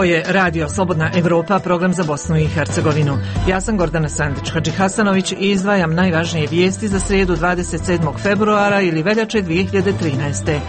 Ovo je Radio Slobodna Evropa, program za Bosnu i Hercegovinu. Ja sam Gordana Sandić-Hadži Hasanović i izdvajam najvažnije vijesti za srijedu 27. februara ili veljače 2013.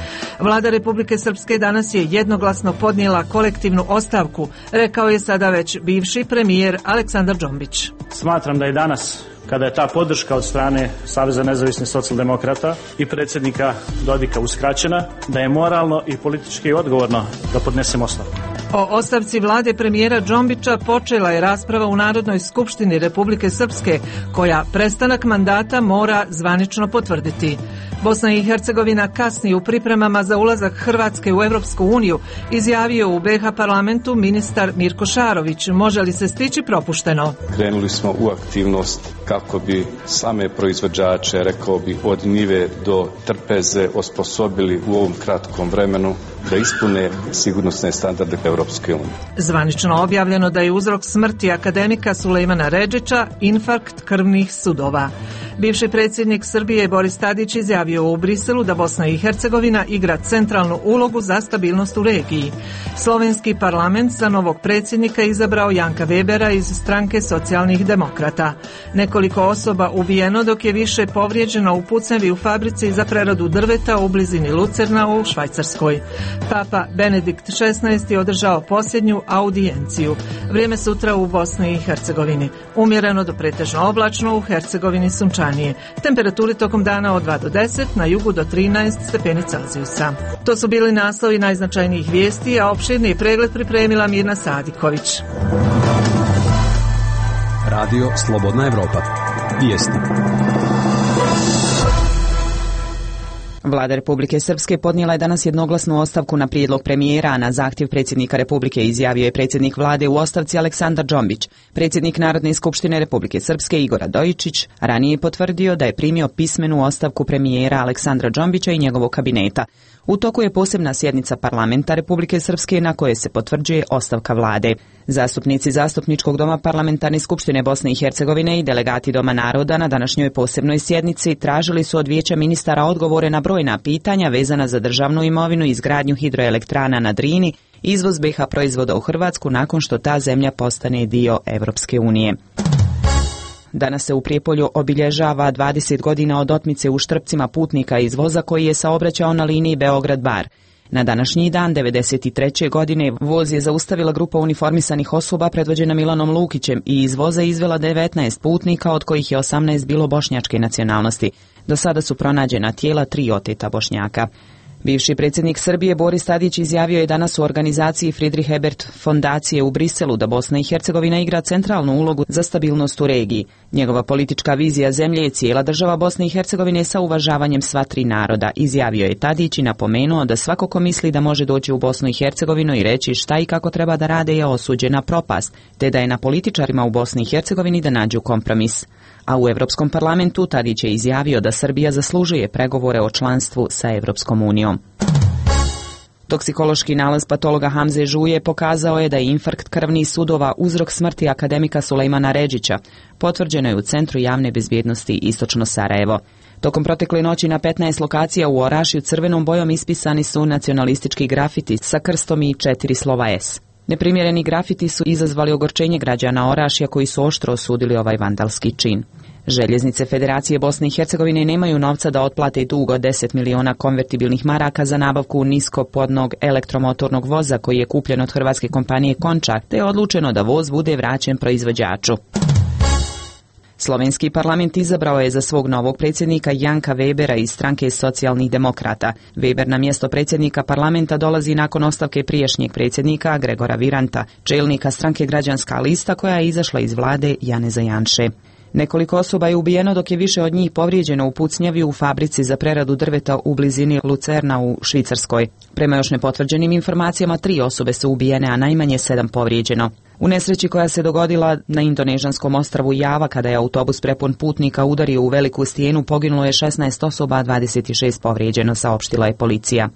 Vlada Republike Srpske danas je jednoglasno podnijela kolektivnu ostavku, rekao je sada već bivši premijer Aleksandar Džombić. Smatram da je danas, kada je ta podrška od strane Saveza nezavisnih socijaldemokrata i predsjednika Dodika uskraćena, da je moralno i politički odgovorno da podnesem ostavku. O ostavci vlade premijera Džombića počela je rasprava u Narodnoj skupštini Republike Srpske, koja prestanak mandata mora zvanično potvrditi. Bosna i Hercegovina kasni u pripremama za ulazak Hrvatske u Europsku uniju, izjavio u BiH parlamentu ministar Mirko Šarović. Može li se stići propušteno? Krenuli smo u aktivnost kako bi same proizvođače, rekao bi, od njive do trpeze osposobili u ovom kratkom vremenu da ispune sigurnosne standarde Europske unije. Zvanično objavljeno da je uzrok smrti akademika Sulejmana Redžića infarkt krvnih sudova. Bivši predsjednik Srbije Boris Tadić izjavio u Briselu da Bosna i Hercegovina igra centralnu ulogu za stabilnost u regiji. Slovenski parlament za novog predsjednika izabrao Janka Webera iz stranke socijalnih demokrata. Nekoliko osoba ubijeno, dok je više povrijeđeno u pucnjavi u fabrici za preradu drveta u blizini Lucerna u Švajcarskoj. Papa Benedikt XVI je održao posljednju audijenciju. Vrijeme sutra u Bosni i Hercegovini. Umjereno do pretežno oblačno, u Hercegovini sunčanije. Temperaturi tokom dana od 2 do 10, na jugu do 13 stepeni Celzijusa. To su bili naslovi najznačajnijih vijesti, a opširni pregled pripremila Mirna Sadiković. Radio Slobodna Evropa. Vijesti. Vlada Republike Srpske podnijela je danas jednoglasnu ostavku na prijedlog premijera, a na zahtjev predsjednika Republike izjavio je predsjednik vlade u ostavci Aleksandar Džombić. Predsjednik Narodne skupštine Republike Srpske Igor Radojičić ranije je potvrdio da je primio pismenu ostavku premijera Aleksandra Džombića i njegovog kabineta. U toku je posebna sjednica parlamenta Republike Srpske na kojoj se potvrđuje ostavka vlade. Zastupnici Zastupničkog doma Parlamentarne skupštine Bosne i Hercegovine i delegati Doma naroda na današnjoj posebnoj sjednici tražili su od Vijeća ministara odgovore na brojna pitanja vezana za državnu imovinu i izgradnju hidroelektrana na Drini, izvoz BiH proizvoda u Hrvatsku nakon što ta zemlja postane dio Europske unije. Danas se u Prijepolju obilježava 20 godina od otmice u Štrpcima putnika iz voza koji je saobraćao na liniji Beograd-Bar. Na današnji dan 1993. godine voz je zaustavila grupa uniformisanih osoba predvođena Milanom Lukićem i iz voza izvela 19 putnika, od kojih je 18 bilo bošnjačke nacionalnosti. Do sada su pronađena tijela 3 oteta Bošnjaka. Bivši predsjednik Srbije Boris Tadić izjavio je danas u organizaciji Friedrich Ebert fondacije u Briselu da Bosna i Hercegovina igra centralnu ulogu za stabilnost u regiji. Njegova politička vizija zemlje je cijela država Bosne i Hercegovine sa uvažavanjem sva 3 naroda, izjavio je Tadić i napomenuo da svako ko misli da može doći u Bosnu i Hercegovinu i reći šta i kako treba da rade je osuđen na propast, te da je na političarima u Bosni i Hercegovini da nađu kompromis. A u Europskom parlamentu Tadić je izjavio da Srbija zaslužuje pregovore o članstvu sa Europskom unijom. Toksikološki nalaz patologa Hamze Žuje pokazao je da je infarkt krvnih sudova uzrok smrti akademika Sulejmana Redžića. Potvrđeno je u Centru javne bezbjednosti Istočno Sarajevo. Tokom protekle noći na 15 lokacija u Orašju crvenom bojom ispisani su nacionalistički grafiti sa krstom i 4 slova S. Neprimjereni grafiti su izazvali ogorčenje građana Orašja koji su oštro osudili ovaj vandalski čin. Željeznice Federacije Bosne i Hercegovine nemaju novca da otplate dug od 10 miliona konvertibilnih maraka za nabavku niskopodnog elektromotornog voza koji je kupljen od hrvatske kompanije Končar, te je odlučeno da voz bude vraćen proizvođaču. Slovenski parlament izabrao je za svog novog predsjednika Janka Webera iz stranke socijalnih demokrata. Weber na mjesto predsjednika parlamenta dolazi nakon ostavke prijašnjeg predsjednika Gregora Viranta, čelnika stranke Građanska lista koja je izašla iz vlade Janeza Janše. Nekoliko osoba je ubijeno, dok je više od njih povrijeđeno u pucnjavi u fabrici za preradu drveta u blizini Lucerna u Švicarskoj. Prema još nepotvrđenim informacijama 3 osobe su ubijene, a najmanje 7 povrijeđeno. U nesreći koja se dogodila na indonežanskom ostrvu Java kada je autobus prepun putnika udario u veliku stijenu, poginulo je 16 osoba, a 26 povrijeđeno, saopštila je policija.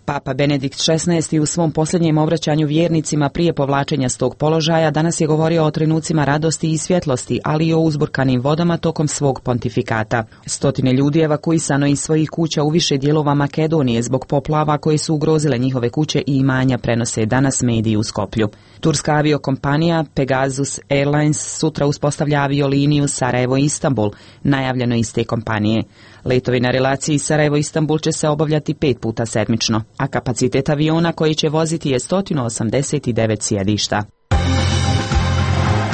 Papa Benedikt XVI u svom posljednjem obraćanju vjernicima prije povlačenja s tog položaja danas je govorio o trenucima radosti i svjetlosti, ali i o uzburkanim vodama tokom svog pontifikata. Stotine ljudi evakuisano iz svojih kuća u više dijelova Makedonije zbog poplava koje su ugrozile njihove kuće i imanja, prenose danas mediji u Skoplju. Turska aviokompanija Pegasus Airlines sutra uspostavlja avioliniju Sarajevo-Istanbul, najavljeno iz te kompanije. Letovi na relaciji Sarajevo-Istanbul će se obavljati 5 puta sedmično, a kapacitet aviona koji će voziti je 189 sjedišta.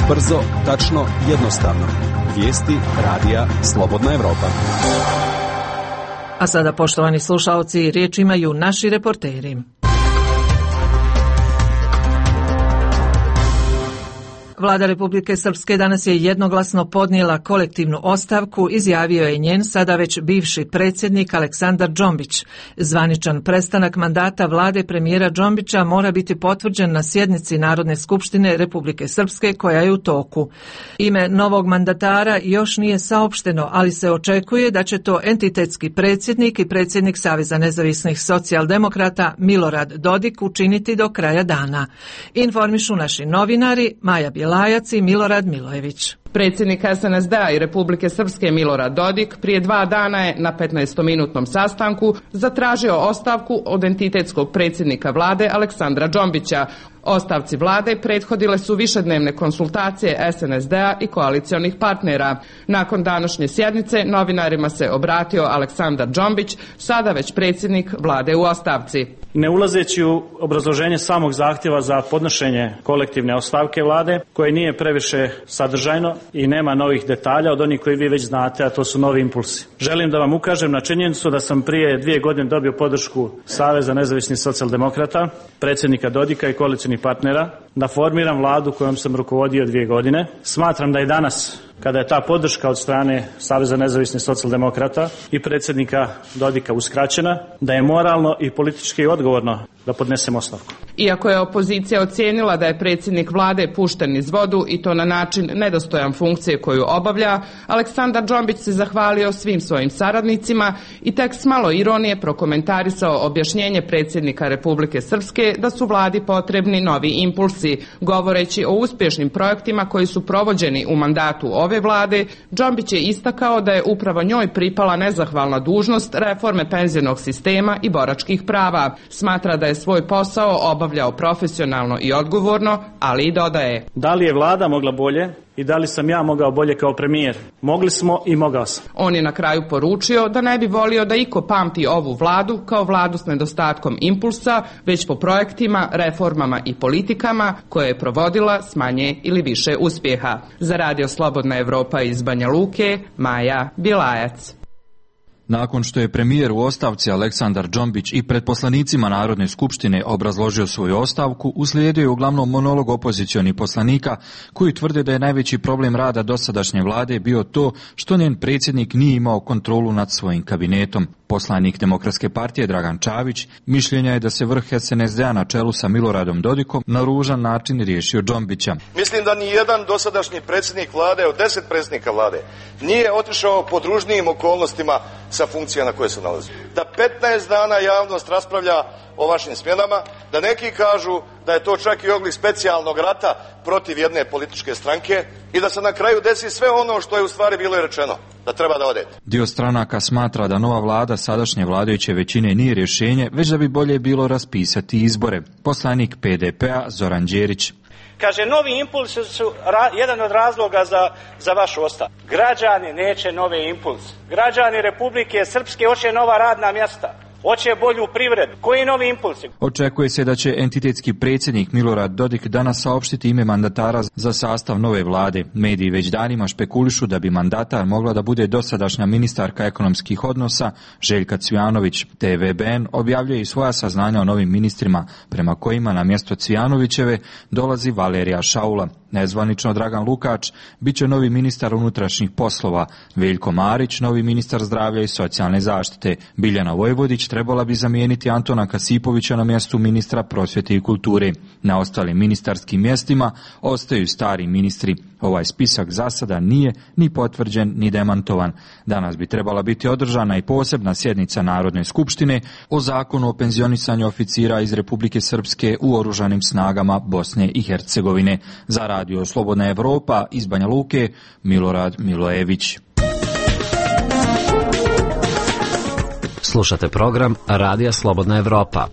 Brzo, tačno, jednostavno. Vijesti radija Slobodna Evropa. A sada, poštovani slušaoci, riječ imaju naši reporteri. Vlada Republike Srpske danas je jednoglasno podnijela kolektivnu ostavku, izjavio je njen sada već bivši predsjednik Aleksandar Džombić. Zvaničan prestanak mandata vlade premijera Džombića mora biti potvrđen na sjednici Narodne skupštine Republike Srpske koja je u toku. Ime novog mandatara još nije saopšteno, ali se očekuje da će to entitetski predsjednik i predsjednik Saveza nezavisnih socijaldemokrata Milorad Dodik učiniti do kraja dana. Informišu naši novinari Maja Bjelajac i Milorad Milojević. Predsjednik SNSD-a i Republike Srpske Milorad Dodik prije 2 dana je na 15-minutnom sastanku zatražio ostavku od entitetskog predsjednika vlade Aleksandra Džombića. Ostavci vlade prethodile su višednevne konsultacije SNSD-a i koalicionih partnera. Nakon današnje sjednice novinarima se obratio Aleksandar Džombić, sada već predsjednik vlade u ostavci. Ne ulazeći u obrazloženje samog zahtjeva za podnošenje kolektivne ostavke vlade, koje nije previše sadržajno i nema novih detalja od onih koji vi već znate, a to su novi impulsi. Želim da vam ukažem na činjenicu da sam prije 2 godine dobio podršku Saveza nezavisnih socijaldemokrata, predsjednika Dodika i koalicionih partnera, da formiram vladu kojom sam rukovodio 2 godine. Smatram da je danas, kada je ta podrška od strane Saveza nezavisnih socijaldemokrata i predsjednika Dodika uskraćena, da je moralno i politički odgovorno da podnesem ostavku. Iako je opozicija ocijenila da je predsjednik vlade pušten iz vodu i to na način nedostojan funkcije koju obavlja, Aleksandar Džombić se zahvalio svim svojim saradnicima i tek s malo ironije prokomentarisao objašnjenje predsjednika Republike Srpske da su vladi potrebni novi impulsi. Govoreći o uspješnim projektima koji su provođeni u mandatu ove vlade, Džombić je istakao da je upravo njoj pripala nezahvalna dužnost reforme penzionog sistema i boračkih prava. Smatra da je svoj posao obavljao profesionalno i odgovorno, ali i dodaje: Da li je vlada mogla bolje i da li sam ja mogao bolje kao premijer? Mogli smo i mogao sam. On je na kraju poručio da ne bi volio da iko pamti ovu vladu kao vladu s nedostatkom impulsa, već po projektima, reformama i politikama koje je provodila s manje ili više uspjeha. Za Radio Slobodna Evropa iz Banja Luke, Maja Bjelajac. Nakon što je premijer u ostavci Aleksandar Džombić i pred poslanicima Narodne skupštine obrazložio svoju ostavku, uslijedio je uglavnom monolog opozicionih poslanika koji tvrde da je najveći problem rada dosadašnje vlade bio to što njen predsjednik nije imao kontrolu nad svojim kabinetom. Poslanik Demokratske partije Dragan Čavić mišljenja je da se vrh SNSD-a na čelu sa Miloradom Dodikom na ružan način riješio Džombića. Mislim da ni jedan dosadašnji predsjednik vlade od 10 predsjednika vlade nije otišao pod ružnijim okolnostima sa funkcija na koje se nalazi. Da 15 dana javnost raspravlja o vašim smjenama, da neki kažu da je to čak i oblik specijalnog rata protiv jedne političke stranke i da se na kraju desi sve ono što je u stvari bilo rečeno, da treba da odete. Dio stranaka smatra da nova vlada sadašnje vladajuće većine nije rješenje, već da bi bolje bilo raspisati izbore. Poslanik PDP-a Zoran Đerić. Kaže, novi impulsi su jedan od razloga za vašu ostavku. Građani neće nove impulse. Građani Republike Srpske hoće nova radna mjesta. Hoće bolju privredu. Koji novi impulsi? Očekuje se da će entitetski predsjednik Milorad Dodik danas saopštiti ime mandatara za sastav nove vlade. Mediji već danima špekulišu da bi mandatar mogla da bude dosadašnja ministarka ekonomskih odnosa Željka Cvijanović. TVBN objavljuje i svoja saznanja o novim ministrima, prema kojima na mjesto Cvijanovićeve dolazi Valerija Šaula. Nezvanično Dragan Lukač bit će novi ministar unutrašnjih poslova, Veljko Marić novi ministar zdravlja i socijalne zaštite, Biljana Vojvodić trebala bi zamijeniti Antona Kasipovića na mjestu ministra prosvjete i kulture. Na ostalim ministarskim mjestima ostaju stari ministri. Ovaj spisak za sada nije ni potvrđen ni demantovan. Danas bi trebala biti održana i posebna sjednica Narodne skupštine o zakonu o penzionisanju oficira iz Republike Srpske u oružanim snagama Bosne i Hercegovine. Za Radio Slobodna Evropa iz Banja Luke, Milorad Milojević. Slušate program Radija Slobodna Evropa.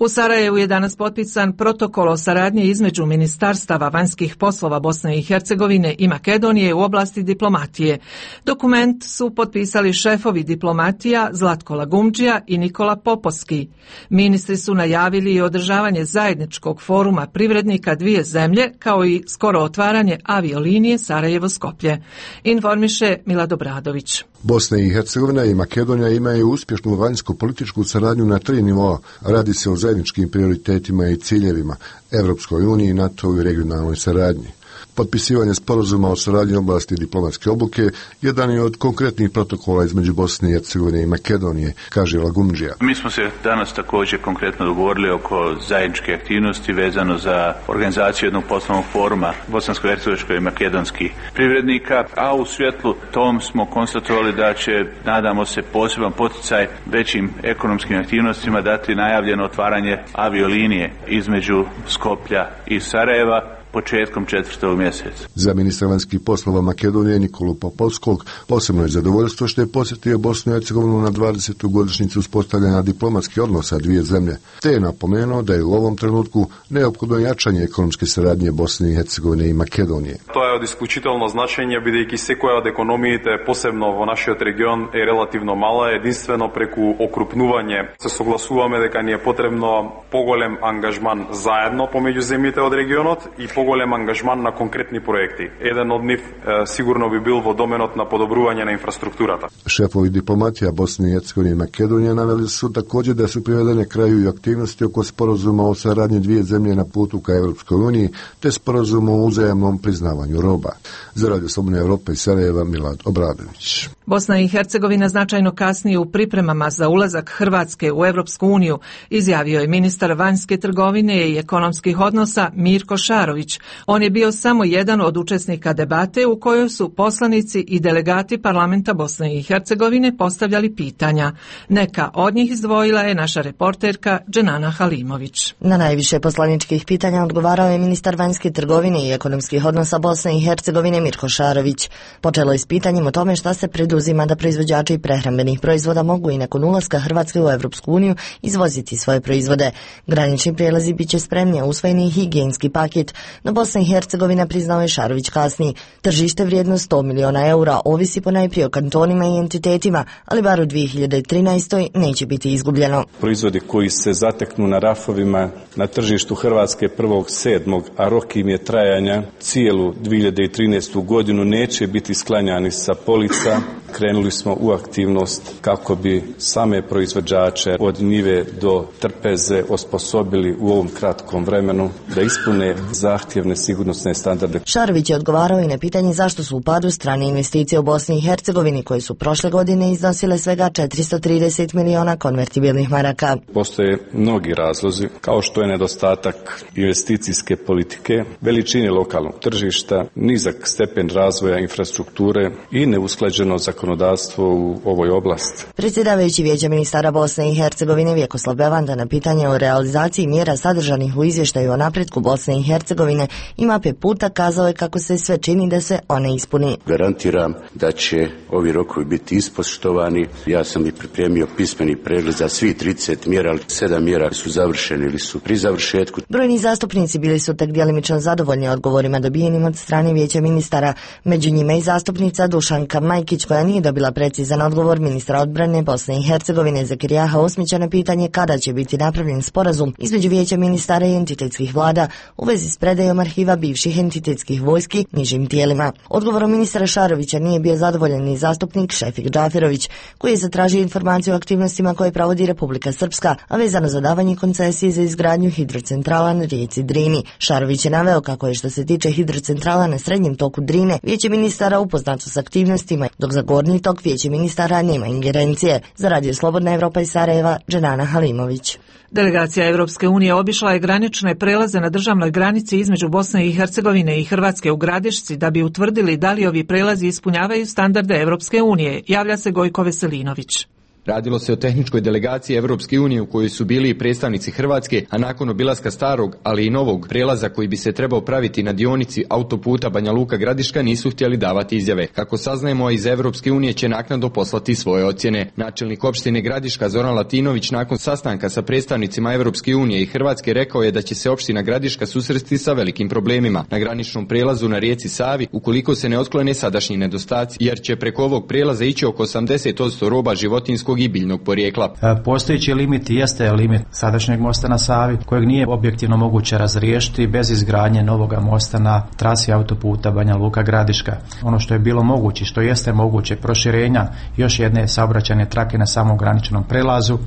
U Sarajevu je danas potpisan protokol o saradnji između ministarstava vanjskih poslova Bosne i Hercegovine i Makedonije u oblasti diplomatije. Dokument su potpisali šefovi diplomatija Zlatko Lagumdžija i Nikola Popovski. Ministri su najavili i održavanje zajedničkog foruma privrednika dvije zemlje, kao i skoro otvaranje aviolinije Sarajevo-Skoplje. Informiše Milad Obradović. Bosna i Hercegovina i Makedonija imaju uspješnu vanjsko-političku saradnju na 3 nivoa. Radi se o zajedničkim prioritetima i ciljevima, Evropskoj uniji, NATO i regionalnoj saradnji. Potpisivanje sporazuma o saradnji u oblasti diplomatske obuke jedan je od konkretnih protokola između Bosne i Hercegovine i Makedonije, kaže Lagumdžija. Mi smo se danas također konkretno dogovorili oko zajedničke aktivnosti vezano za organizaciju jednog poslovnog foruma bosansko-hercegovačkih i makedonskih privrednika, a u svjetlu tom smo konstatovali da će, nadamo se, poseban poticaj većim ekonomskim aktivnostima dati najavljeno otvaranje aviolinije između Skoplja i Sarajeva početkom 4. mjeseca. Za ministra vanjskih poslova Makedonije Nikolu Popovskog posebno je zadovoljstvo što je posjetio Bosnu i Hercegovinu na 20. godišnjicu uspostavljanja diplomatskih odnosa dvije zemlje, te je napomenuo da je u ovom trenutku neophodno jačanje ekonomske saradnje Bosne i Hercegovine i Makedonije. To je od изключително значење, бидејќи секоја од економиите, посебно во нашиот регион, е релативно мала, единствено преку окрупнување се согласуваме дека ни е потребно поголем ангажман заедно помеѓу земјите од регионот и поголем ангажман на конкретни проекти. Еден од нив сигурно би бил во доменот на подобрување на инфраструктурата. Šefovi diplomatija Bosne i Hercegovine i Makedonije naveli su također da su privedene kraju i aktivnosti oko sporazuma o saradnji dvije zemlje na putu ka Evropskoj uniji, te sporazuma o uzajamnom priznavanju roba. Za Radio Slobodne Evrope iz Sarajeva, Milad Obradović. Bosna i Hercegovina značajno kasnije u pripremama za ulazak Hrvatske u Evropsku uniju, izjavio je ministar vanjske trgovine i ekonomskih odnosa Mirko Šarović. On je bio samo jedan od učesnika debate u kojoj su poslanici i delegati parlamenta Bosne i Hercegovine postavljali pitanja. Neka od njih izdvojila je naša reporterka Dženana Halimović. Na najviše poslaničkih pitanja odgovarao je ministar vanjske trgovine i ekonomskih odnosa Bosne i Hercegovine Mirko Šarović. Počelo je s pitanjem o tome šta se preduzima da proizvođači prehrambenih proizvoda mogu i nakon ulaska Hrvatske u Evropsku uniju izvoziti svoje proizvode. Granični prijelazi bit će spremni, usvojeni higijenski paket, no Bosna i Hercegovina, priznao je Šarović kasnije. Tržište vrijedno 100 miliona eura ovisi ponajprije o kantonima i entitetima, ali bar u 2013. neće biti izgubljeno. Proizvodi koji se zateknu na rafovima na tržištu Hrvatske 1.7., a rok im je trajanja cijelu 2013. godinu, neće biti sklanjani sa polica. Krenuli smo u aktivnost kako bi same proizvođače od njive do trpeze osposobili u ovom kratkom vremenu da ispune zahtjevne sigurnosne standarde. Šarović je odgovarao i na pitanje zašto su u padu strane investicije u Bosni i Hercegovini, koje su prošle godine iznosile svega 430 miliona konvertibilnih maraka. Postoje mnogi razlozi, kao što je nedostatak investicijske politike, veličine lokalnog tržišta, nizak stepen razvoja infrastrukture i neusklađeno zakonodavstvo u ovoj oblasti. Predsjedavajući Vijeća ministara Bosne i Hercegovine Vjekoslav Bevanda na pitanje o realizaciji mjera sadržanih u izvještaju o napretku Bosne i Hercegovine i mape puta kazao je kako se sve čini da se one ispuni. Garantiram da će ovi rokovi biti ispoštovani. Ja sam i pripremio pismeni pregled za svih 30 mjera, ali 7 mjera su završene ili su pri završetku. Brojni zastupnici bili su tek djelimično zadovoljni odgovorima dobijenim od strane Vijeća ministara. Među njima i zastupnica Dušanka Majkić, koja nije nije dobila precizan odgovor ministra odbrane Bosne i Hercegovine Zakirijaha Osmića na pitanje kada će biti napravljen sporazum između Vijeća ministara i entitetskih vlada u vezi s predajom arhiva bivših entitetskih vojski nižim tijelima. Odgovorom ministra Šarovića nije bio zadovoljan ni zastupnik Šefik Džaferović, koji je zatražio informaciju o aktivnostima koje provodi Republika Srpska, a vezano za davanje koncesije za izgradnju hidrocentrala na rijeci Drini. Šarović je naveo kako je što se tiče hidrocentrala na srednjem toku Drine, Vijeće ministara upoznato s aktivnostima, dok za gornji tok Vijeće ministara nema ingerencije. Za Radio Slobodna Evropa iz Sarajeva, Dženana Halimović. Delegacija Europske unije obišla je granične prelaze na državnoj granici između Bosne i Hercegovine i Hrvatske u Gradišci da bi utvrdili da li ovi prelazi ispunjavaju standarde Europske unije, javlja se Gojko Veselinović. Radilo se o tehničkoj delegaciji Evropske unije u kojoj su bili i predstavnici Hrvatske, a nakon obilaska starog, ali i novog prelaza koji bi se trebao praviti na dionici autoputa Banja Luka Gradiška nisu htjeli davati izjave. Kako saznajemo, iz Evropske unije će naknadno poslati svoje ocjene. Načelnik opštine Gradiška Zoran Latinović nakon sastanka sa predstavnicima Evropske unije i Hrvatske rekao je da će se opština Gradiška susresti sa velikim problemima na graničnom prelazu na rijeci Savi ukoliko se ne otklone sadašnji nedostaci, jer će preko ovog prelaza ići oko 80% roba životinjskog i biljnog porijekla. Postojeći limit jeste limit sadašnjeg mosta na Savi, kojeg nije objektivno moguće razriješiti bez izgradnje novoga mosta na trasi autoputa Banja Luka Gradiška. Ono što je bilo moguće, što jeste moguće, proširenja još jedne saobraćajne trake na samom graničnom prelazu,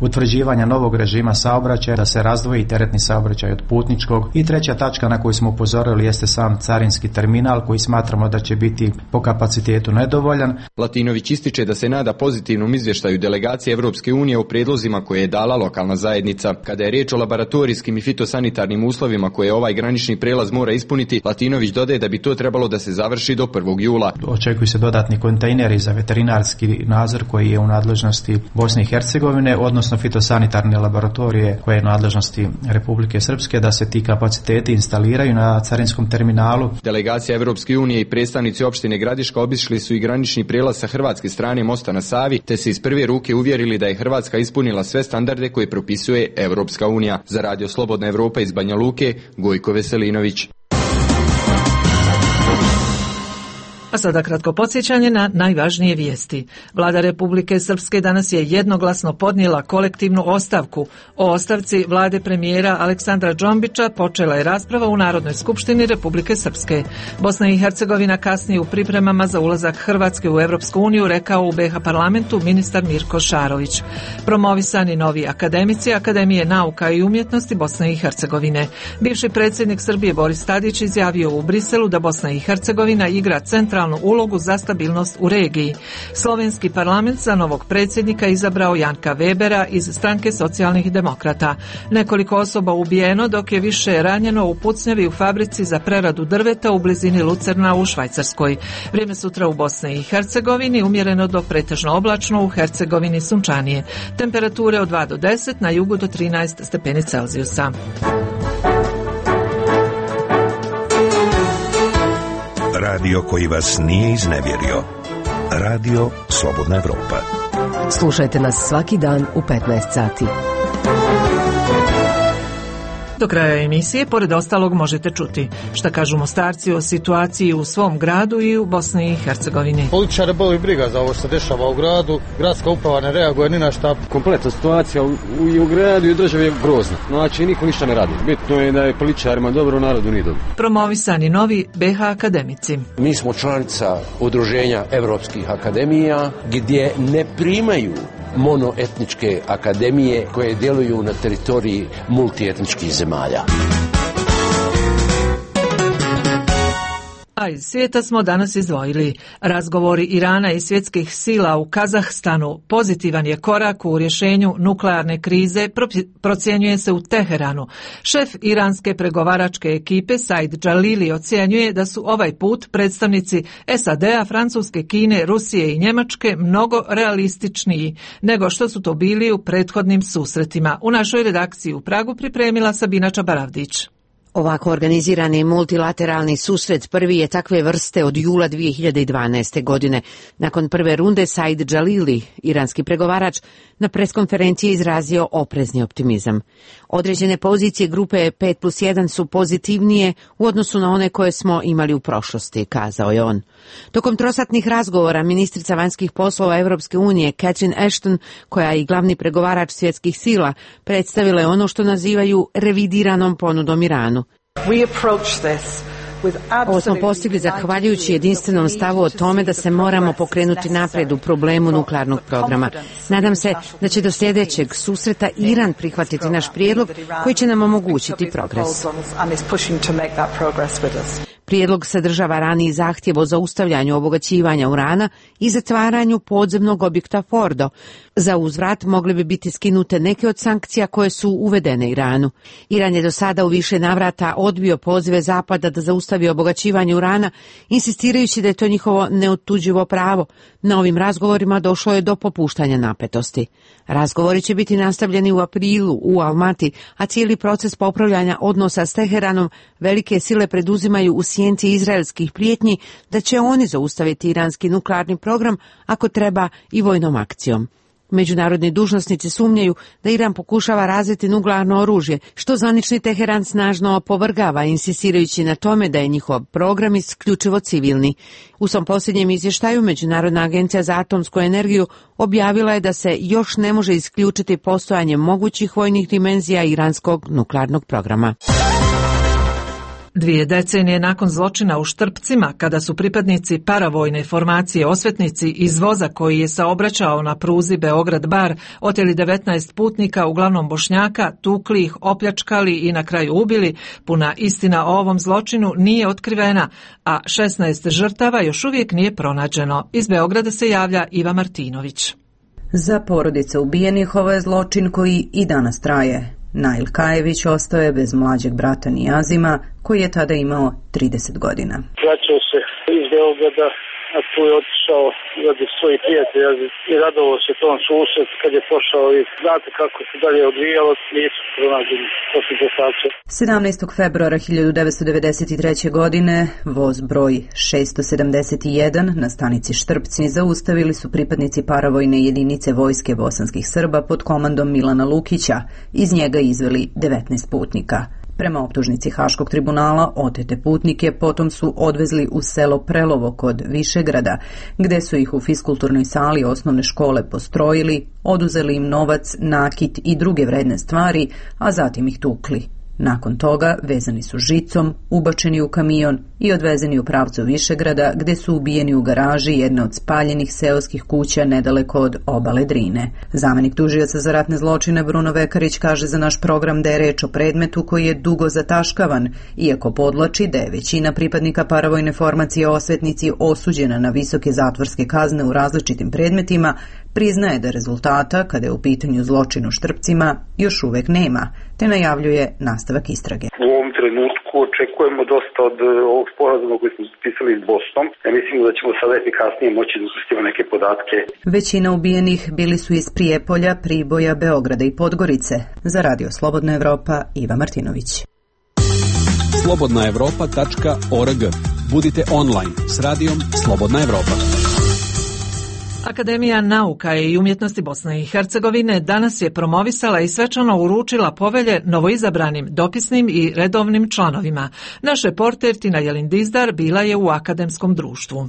utvrđivanja novog režima saobraćaja, da se razdvoji teretni saobraćaj od putničkog, i treća tačka na koju smo upozorili jeste sam carinski terminal, koji smatramo da će biti po kapacitetu nedovoljan. Latinović ističe da se nada pozitivnom izvještaju delegacije Evropske unije o prijedlozima koje je dala lokalna zajednica. Kada je riječ o laboratorijskim i fitosanitarnim uslovima koje ovaj granični prelaz mora ispuniti, Latinović dodaje da bi to trebalo da se završi do 1. jula. Očekuju se dodatni kontejneri za veterinarski nadzor koji je u nadležnosti Bosne i Hercegovine, odnosno fitosanitarne laboratorije koje je u nadležnosti Republike Srpske, da se ti kapaciteti instaliraju na carinskom terminalu. Delegacija Evropske unije i predstavnici opštine Gradiška obišli su i granični prelaz sa hrvatske strane mosta na Savi, te se iz prve ruke uvjerili da je Hrvatska ispunila sve standarde koje propisuje Evropska unija. Za Radio Slobodna Evropa iz Banja Luke, Gojko Veselinović. A sada kratko podsjećanje na najvažnije vijesti. Vlada Republike Srpske danas je jednoglasno podnijela kolektivnu ostavku. O ostavci vlade premijera Aleksandra Džombića počela je rasprava u Narodnoj skupštini Republike Srpske. Bosna i Hercegovina kasnije u pripremama za ulazak Hrvatske u Europsku uniju, rekao u BiH parlamentu ministar Mirko Šarović. Promovisani novi akademici Akademije nauka i umjetnosti Bosne i Hercegovine. Bivši predsjednik Srbije Boris Tadić izjavio u Briselu da Bosna i Hercegovina igra centralnu ulogu za stabilnost u regiji. Slovenski parlament za novog predsjednika izabrao Janka Webera iz stranke socijalnih demokrata. Nekoliko osoba ubijeno, dok je više ranjeno u pucnjavi u fabrici za preradu drveta u blizini Lucerna u Švajcarskoj. Vrijeme sutra u Bosni i Hercegovini umjereno do pretežno oblačno, u Hercegovini sunčanije. Temperature od 2 do 10, na jugu do 13 stepeni Celzijusa. Radio koji vas nije iznevjerio. Radio Slobodna Evropa. Slušajte nas svaki dan u 15 sati. Do kraja emisije, pored ostalog, možete čuti šta kažu Mostarci o situaciji u svom gradu i u Bosni i Hercegovini. Političare boli briga za ovo što se dešava u gradu, gradska uprava ne reaguje ni na šta. Kompletna situacija i u gradu i u državi je grozna. Znači, niko ništa ne radi. Bitno je da je političarima dobro, narodu nije dobro. Promovisani novi BiH akademici. Mi smo članica Udruženja evropskih akademija gdje ne primaju monoetničke akademije koje djeluju na teritoriji multietničkih zemalja. A iz svijeta smo danas izdvojili. Razgovori Irana i svjetskih sila u Kazahstanu pozitivan je korak u rješenju nuklearne krize, procjenjuje se u Teheranu. Šef iranske pregovaračke ekipe Said Jalili ocjenjuje da su ovaj put predstavnici SAD-a, Francuske, Kine, Rusije i Njemačke mnogo realističniji nego što su to bili u prethodnim susretima. U našoj redakciji u Pragu pripremila Sabina Čabaravdić. Ovako organizirani multilateralni susret prvi je takve vrste od jula 2012. godine. Nakon prve runde Said Jalili, iranski pregovarač, na preskonferenciji izrazio oprezni optimizam. Određene pozicije grupe 5+1 su pozitivnije u odnosu na one koje smo imali u prošlosti, kazao je on. Tokom trosatnih razgovora ministrica vanjskih poslova Europske unije Catherine Ashton, koja je i glavni pregovarač svjetskih sila, predstavila je ono što nazivaju revidiranom ponudom Iranu. Ovo smo postigli zahvaljujući jedinstvenom stavu o tome da se moramo pokrenuti naprijed u problemu nuklearnog programa. Nadam se da će do sljedećeg susreta Iran prihvatiti naš prijedlog koji će nam omogućiti progres. Prijedlog sadržava raniji zahtjev o zaustavljanju obogaćivanja urana i zatvaranju podzemnog objekta Fordo. Za uzvrat mogle bi biti skinute neke od sankcija koje su uvedene Iranu. Iran je do sada u više navrata odbio pozive Zapada da zaustavi obogaćivanje urana, insistirajući da je to njihovo neotuđivo pravo. Na ovim razgovorima došlo je do popuštanja napetosti. Razgovori će biti nastavljeni u aprilu u Almati, a cijeli proces popravljanja odnosa s Teheranom velike sile preduzimaju u sjenci izraelskih prijetnji da će oni zaustaviti iranski nuklearni program ako treba i vojnom akcijom. Međunarodni dužnosnici sumnjaju da Iran pokušava razviti nuklearno oružje, što zvanični Teheran snažno opovrgava, insistirajući na tome da je njihov program isključivo civilni. U svom posljednjem izvještaju Međunarodna agencija za atomsku energiju objavila je da se još ne može isključiti postojanje mogućih vojnih dimenzija iranskog nuklearnog programa. 2 decenije nakon zločina u Štrpcima, kada su pripadnici paravojne formacije Osvetnici iz voza koji je saobraćao na pruzi Beograd-Bar oteli 19 putnika, uglavnom Bošnjaka, tukli ih, opljačkali i na kraju ubili, puna istina o ovom zločinu nije otkrivena, a 16 žrtava još uvijek nije pronađeno. Iz Beograda se javlja Iva Martinović. Za porodice ubijenih ovo je zločin koji i danas traje. Nail Kajević ostao je bez mlađeg brata Nijazima, koji je tada imao 30 godina. Vraćao se iz Beograda, a tu je otišao radi svojih prijatelja i radovao se tom susret kad je pošao i znate kako se dalje odvijalo, nisu pronađeni posljednje sače. 17. februara 1993. godine voz broj 671 na stanici Štrpci zaustavili su pripadnici paravojne jedinice vojske bosanskih Srba pod komandom Milana Lukića. Iz njega izveli 19 putnika. Prema optužnici Haškog tribunala, otete putnike potom su odvezli u selo Prelovo kod Višegrada, gde su ih u fiskulturnoj sali osnovne škole postrojili, oduzeli im novac, nakit i druge vredne stvari, a zatim ih tukli. Nakon toga vezani su žicom, ubačeni u kamion i odvezeni u pravcu Višegrada, gde su ubijeni u garaži jedne od spaljenih seoskih kuća nedaleko od obale Drine. Zamenik tužioca za ratne zločine Bruno Vekarić kaže za naš program da je reč o predmetu koji je dugo zataškavan, iako podlači da je većina pripadnika paravojne formacije Osvetnici osuđena na visoke zatvorske kazne u različitim predmetima, priznaje da rezultata, kada je u pitanju zločin u Štrpcima, još uvek nema, te najavljuje nastavak istrage. U ovom trenutku očekujemo dosta od ovog sporazuma koji smo potpisali s Bosnom. Ja mislim da ćemo sada efikasnije moći da uspustimo neke podatke. Većina ubijenih bili su iz Prijepolja, Priboja, Beograda i Podgorice. Za Radio Slobodna Evropa, Iva Martinović. slobodnaevropa.org. Budite online s radijom Slobodna Evropa. Akademija nauka i umjetnosti Bosne i Hercegovine danas je promovisala i svečano uručila povelje novoizabranim dopisnim i redovnim članovima. Naš reporter Tina Jelindizdar bila je u akademskom društvu.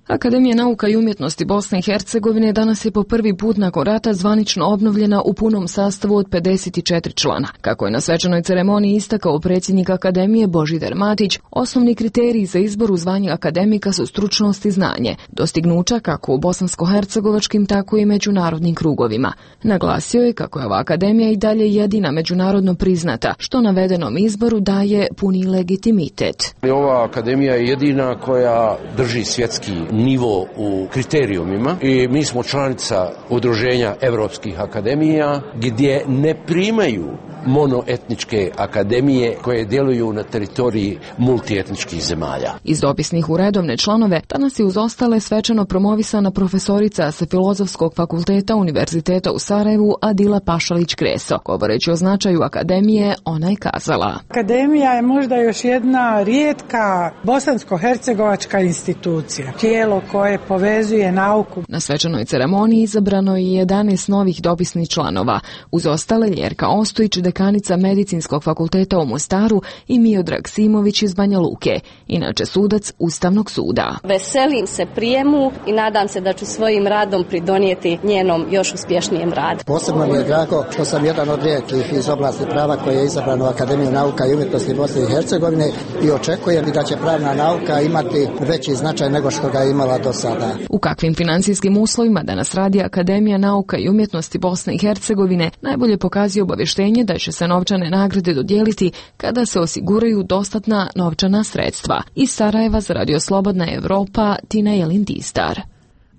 Akademija nauka i umjetnosti Bosne i Hercegovine danas je po prvi put nakon rata zvanično obnovljena u punom sastavu od 54 člana. Kako je na svečanoj ceremoniji istakao predsjednik Akademije Božidar Matić, osnovni kriteriji za izbor u zvanje akademika su stručnost i znanje, dostignuća kako u bosansko-hercegovačkim, tako i međunarodnim krugovima. Naglasio je kako je ova akademija i dalje jedina međunarodno priznata, što navedenom izboru daje puni legitimitet. Ova akademija je jedina koja drži svjetski nivo u kriterijumima i mi smo članica udruženja evropskih akademija gdje ne primaju monoetničke akademije koje djeluju na teritoriji multietničkih zemalja. Iz dopisnih u redovne članove danas je uz ostale svečano promovisana profesorica sa Filozofskog fakulteta Univerziteta u Sarajevu Adila Pašalić-Kreso. Govoreći o značaju akademije, ona je kazala: Akademija je možda još jedna rijetka bosansko-hercegovačka institucija, tijelo koje povezuje nauku. Na svečanoj ceremoniji izabrano je 11 novih dopisnih članova. Uz ostale Ljerka Ostojić, dekanica Medicinskog fakulteta u Mostaru, i Miodrag Simović iz Banja Luke, inače sudac Ustavnog suda. Veselim se prijemu i nadam se da ću svojim radom pridonijeti njenom još uspješnijem radu. Posebno mi je drago što sam jedan od rijetkih iz oblasti prava koji je izabran u Akademiju nauka i umjetnosti Bosne i Hercegovine i očekujem da će pravna nauka imati veći značaj nego što ga je imala do sada. U kakvim financijskim uslovima danas radi Akademija nauka i umjetnosti Bosne i Hercegovine najbolje pokazuje obavještenje da će se novčane nagrade dodijeliti kada se osiguraju dostatna novčana sredstva. Iz Sarajeva za Radio Slobodna Evropa, Tina Jelin-Distar.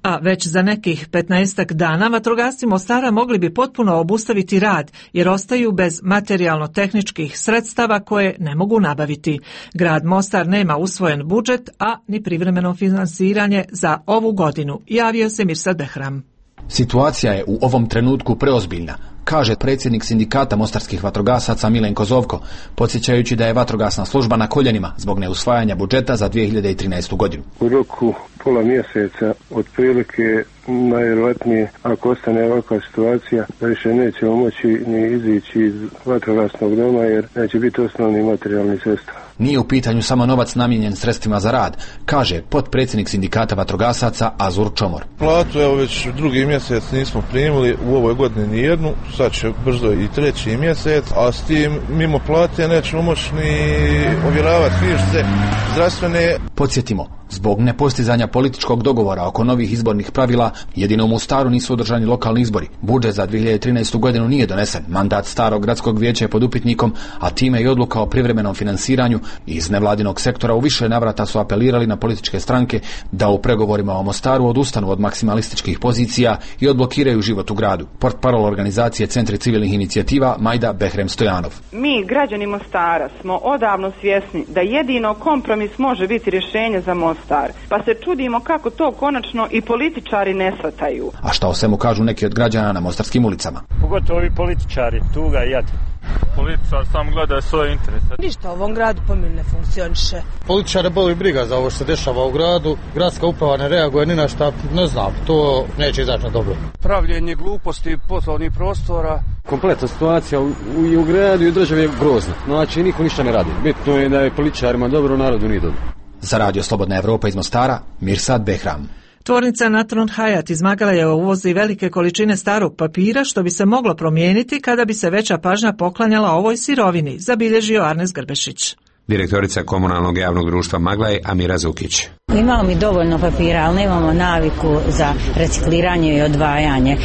A već za nekih 15 dana vatrogasci Mostara mogli bi potpuno obustaviti rad jer ostaju bez materijalno-tehničkih sredstava koje ne mogu nabaviti. Grad Mostar nema usvojen budžet, a ni privremeno finansiranje za ovu godinu, javio se Mirsad Behram. Situacija je u ovom trenutku preozbiljna, kaže predsjednik sindikata mostarskih vatrogasaca Milenko Zovko, podsjećajući da je vatrogasna služba na koljenima zbog neusvajanja budžeta za 2013. godinu. U roku pola mjeseca otprilike najvjerojatnije, ako ostane ovakva situacija, da više nećemo moći ni izići iz vatrogasnog doma jer neće biti osnovni materijalni sredstva. Nije u pitanju samo novac namijenjen sredstvima za rad, kaže potpredsjednik sindikata vatrogasaca Azur Čomor. Platu evo već drugi mjesec nismo primili, u ovoj godini ni jednu, sad će brzo i treći mjesec, a s tim mimo plate nećemo moći ni ovjeravati knjižice zdravstvene. Podsjetimo, zbog nepostizanja političkog dogovora oko novih izbornih pravila, jedino u Mostaru nisu održani lokalni izbori. Budžet za 2013. godinu nije donesen. Mandat starog gradskog vijeća je pod upitnikom, a time i odluka o privremenom finansiranju. Iz nevladinog sektora u više navrata su apelirali na političke stranke da u pregovorima o Mostaru odustanu od maksimalističkih pozicija i odblokiraju život u gradu. Portparol organizacije Centri civilnih inicijativa Majda Behrem Stojanov. Mi, građani Mostara, smo odavno svjesni da jedino kompromis može biti rješenje za Mostar, pa se čudimo kako to konačno i političari ne shvataju. A šta o svemu kažu neki od građana na mostarskim ulicama? Pogotovo ovi političari, tuga i jad. Političar sam gleda svoje interese. Ništa u ovom gradu po meni ne funkcioniše. Političare boli briga za ovo što se dešava u gradu, gradska uprava ne reaguje ni na šta, ne znam, to neće izaći na dobro. Pravljenje gluposti poslovnih prostora. Kompletna situacija u gradu i u državi je grozna. Znači, niko ništa ne radi. Bitno je da je političarima dobro, narodu nije dobro. Za Radio Slobodna Evropa iz Mostara, Mirsad Behram. Tvornica Natron Hayat iz Magalajeva uvozi velike količine starog papira što bi se moglo promijeniti kada bi se veća pažnja poklanjala ovoj sirovini, zabilježio Arnes Grbešić. Direktorica komunalnog javnog društva Maglaj Amira Zukić. Imamo mi dovoljno papira, ali nemamo naviku za recikliranje i odvajanje.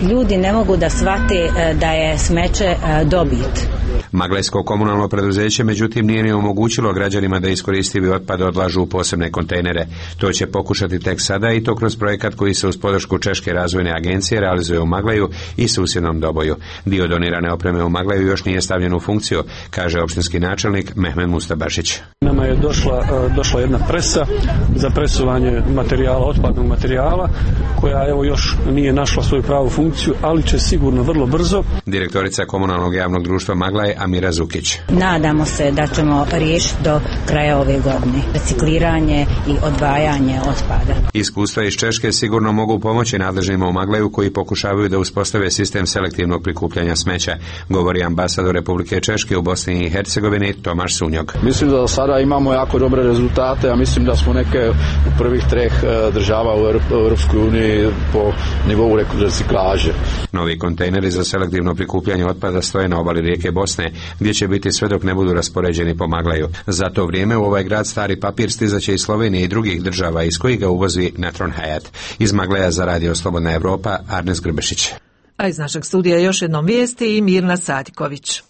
Ljudi ne mogu da shvate da je smeće dobit. Maglajsko komunalno preduzeće međutim nije ni omogućilo građanima da iskoristivi otpad odlažu u posebne kontejnere. To će pokušati tek sada i to kroz projekat koji se uz podršku Češke razvojne agencije realizuje u Maglaju i susjednom Doboju. Dio donirane opreme u Maglaju još nije stavljen u funkciju, kaže opštinski načelnik Mehmed Mustabašić. Nama je došla jedna presa za presuvanje materijala, otpadnog materijala, koja evo još nije našla svoju pravu funkciju, ali će sigurno vrlo brzo. Direktorica komunalnog javnog društva Maglaj Amira Zukić. Nadamo se da ćemo riješiti do kraja ove godine recikliranje i odvajanje otpada. Iskustva iz Češke sigurno mogu pomoći nadležnima u Maglaju koji pokušavaju da uspostave sistem selektivnog prikupljanja smeća, govori ambasador Republike Češke u Bosni i Hercegovini Tomaš Sunjog. Mislim da sada imamo jako dobre rezultate, a mislim da smo neke u prvih 3 država u Europskoj uniji po nivou reciklaže. Novi kontejneri za selektivno prikupljanje otpada stoje na obali rijeke Bosne, gdje će biti sve dok ne budu raspoređeni po Maglaju. Za to vrijeme u ovaj grad stari papir stizaće iz Slovenije i drugih država iz kojih ga uvozi Natron Hayat. Iz Maglaja za Radio Slobodna Evropa, Arnes Grbešić. A iz našeg studija još jednom vijesti i Mirna Sadiković.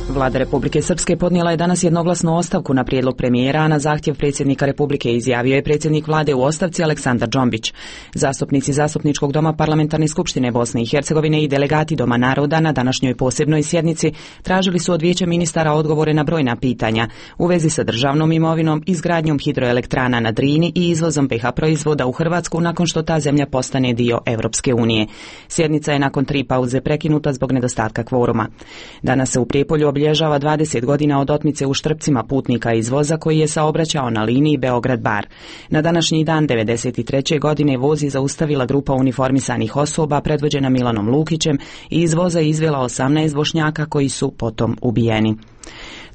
Vlada Republike Srpske podnijela je danas jednoglasnu ostavku na prijedlog premijera, a na zahtjev predsjednika Republike izjavio je predsjednik vlade u ostavci Aleksandar Džombić. Zastupnici Zastupničkog doma Parlamentarne skupštine Bosne i Hercegovine i delegati Doma naroda na današnjoj posebnoj sjednici tražili su od Vijeća ministara odgovore na brojna pitanja u vezi sa državnom imovinom, izgradnjom hidroelektrana na Drini i izvozom PH proizvoda u Hrvatsku nakon što ta zemlja postane dio Europske unije. Sjednica je nakon 3 pauze prekinuta zbog nedostatka kvoruma. Danas se u Prijepolju obilježava 20 godina od otmice u Štrpcima putnika iz voza koji je saobraćao na liniji Beograd-Bar. Na današnji dan 1993. godine voz je zaustavila grupa uniformisanih osoba predvođena Milanom Lukićem i iz voza izvela 18 Bošnjaka koji su potom ubijeni.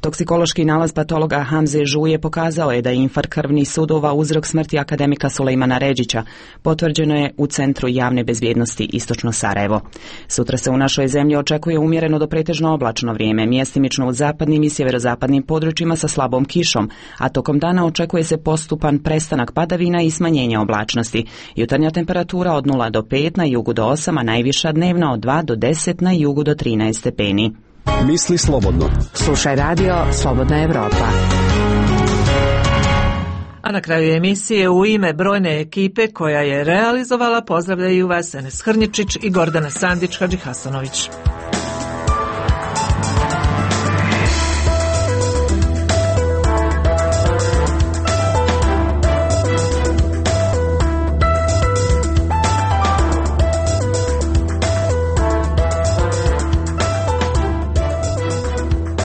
Toksikološki nalaz patologa Hamze Žuje pokazao je da je infarkt krvnih sudova uzrok smrti akademika Sulejmana Redžića. Potvrđeno je u Centru javne bezbjednosti Istočno Sarajevo. Sutra se u našoj zemlji očekuje umjereno do pretežno oblačno vrijeme, mjestimično u zapadnim i sjeverozapadnim područjima sa slabom kišom, a tokom dana očekuje se postupan prestanak padavina i smanjenje oblačnosti. Jutarnja temperatura od 0 do 5, na jugu do 8, a najviša dnevna od 2 do 10, na jugu do 13 stepeni. Misli slobodno. Slušaj radio Slobodna Evropa. A na kraju emisije u ime brojne ekipe koja je realizovala pozdravljaju vas Enes Hrnjičić i Gordana Sandić Hadžihasanović.